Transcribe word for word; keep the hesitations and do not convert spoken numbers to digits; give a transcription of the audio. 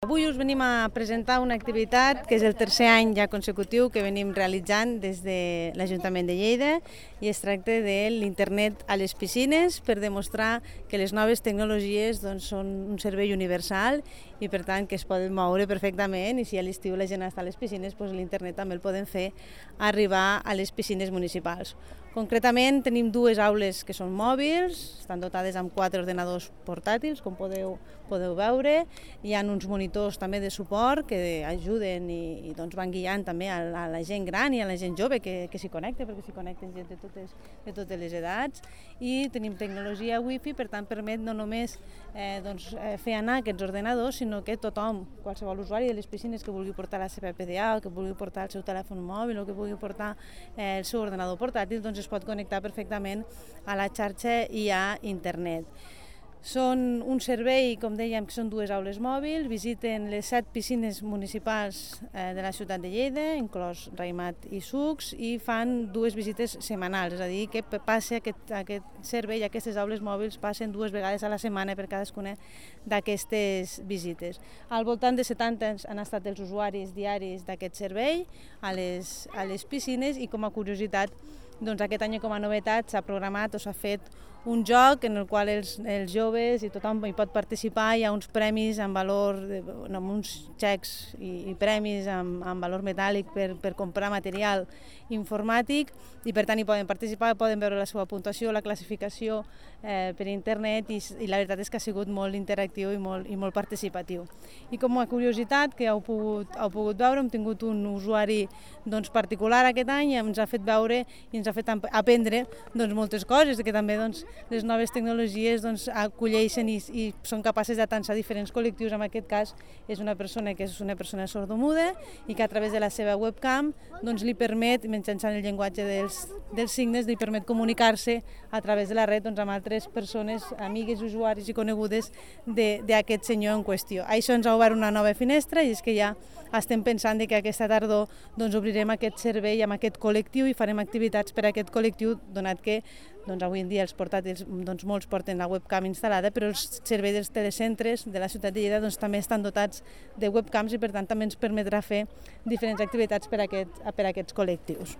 Avui us venim a presentar una activitat que és el tercer any ja consecutiu que venim realitzant des de l'Ajuntament de Lleida i es tracta de l'internet a les piscines per demostrar que les noves tecnologies doncs, són un servei universal i per tant que es poden moure perfectament i si a l'estiu la gent està a les piscines doncs l'internet també el poden fer arribar a les piscines municipals. Concretament tenim dues aules que són mòbils, estan dotades amb quatre ordenadors portàtils, com podeu, podeu veure. Hi ha uns monitors també de suport que ajuden i, i doncs van guiant també a, a la gent gran i a la gent jove que, que s'hi connecta, perquè s'hi connecten gent de totes, de totes les edats. I tenim tecnologia wifi, per tant permet no només eh, doncs, fer anar aquests ordenadors, sinó que tothom, qualsevol usuari de les piscines que vulgui portar la seva P D A, o que vulgui portar el seu telèfon mòbil o que vulgui portar eh, el seu ordenador portàtil, doncs es pot connectar perfectament a la xarxa i a internet. Són un servei, com dèiem, que són dues aules mòbils, visiten les set piscines municipals eh, de la ciutat de Lleida, inclòs Raimat i Sucs, i fan dues visites setmanals, és a dir, que passa aquest, aquest servei, aquestes aules mòbils passen dues vegades a la setmana per cadascuna d'aquestes visites. Al voltant de setanta han estat els usuaris diaris d'aquest servei a les, a les piscines i com a curiositat, doncs aquest any com a novetat s'ha programat o s'ha fet un joc en el qual els, els joves i tothom hi pot participar, hi ha uns premis amb valor, de, no, uns xecs i, i premis amb, amb valor metàl·lic per, per comprar material informàtic i per tant hi poden participar, poden veure la seva puntuació, la classificació eh, per internet i, i la veritat és que ha sigut molt interactiu i molt, i molt participatiu. I com a curiositat que heu pogut, heu pogut veure, hem tingut un usuari doncs, particular aquest any i ens ha fet veure i ens ha fet aprendre doncs, moltes coses, que també doncs, les noves tecnologies doncs, acolleixen i, i són capaces d'atançar diferents col·lectius. En aquest cas és una persona que és una persona sordomuda i que a través de la seva webcam doncs, li permet, mitjançant el llenguatge dels, dels signes, li permet comunicar-se a través de la red doncs, amb altres persones, amigues, usuaris i conegudes d'aquest senyor en qüestió. Això ens ha obert una nova finestra i és que ja estem pensant que aquesta tardor doncs, obrirem aquest servei amb aquest col·lectiu i farem activitats per a aquest col·lectiu, donat que doncs, avui en dia els portàtils doncs, molts porten la webcam instal·lada, però els serveis dels telecentres de la ciutat de Lleida doncs, també estan dotats de webcams i per tant també ens permetrà fer diferents activitats per a, aquest, per a aquests col·lectius.